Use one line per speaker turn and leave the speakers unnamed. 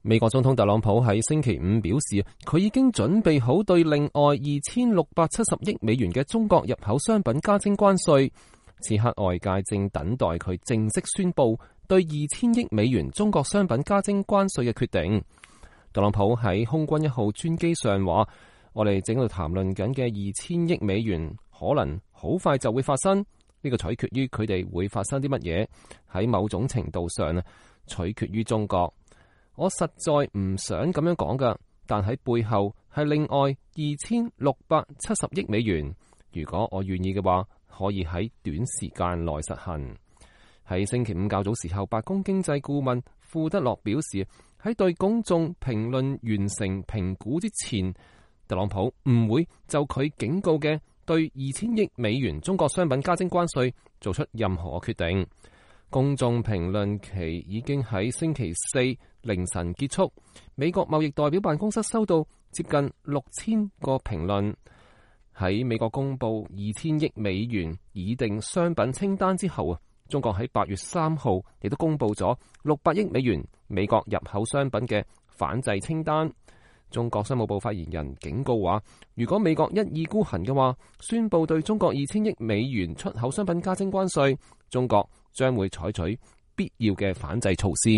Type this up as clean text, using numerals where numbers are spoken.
美國總統特朗普喺星期五表示，佢已經準備好對另外2670億美元嘅中國入口商品加徵關稅。此刻外界正等待佢正式宣布對2000億美元中國商品加徵關稅嘅決定。特朗普喺空軍一號專機上話：我哋正喺度談論緊嘅2000億美元可能好快就會發生，呢個取決於佢哋會發生啲乜嘢。喺某種程度上取決於中國。我實在唔想咁樣講㗎，但喺背後係另外2670億美元。如果我願意嘅話，可以喺短時間內實行。喺星期五較早時候，白宮經濟顧問庫德洛表示，喺對公眾評論完成評估之前，特朗普唔會就佢警告嘅對2000億美元中國商品加徵關稅做出任何決定。公眾評論期已經喺星期四凌晨結束。美國貿易代表辦公室收到接近6000個評論。喺美國公布2000億美元擬定商品清單之後中國喺8月3號亦都公布咗600億美元美國入口商品嘅反制清單。中國商務部發言人警告話，如果美國一意孤行嘅話，宣布對中國2000億美元出口商品加徵關稅，中國將會採取必要嘅反制措施。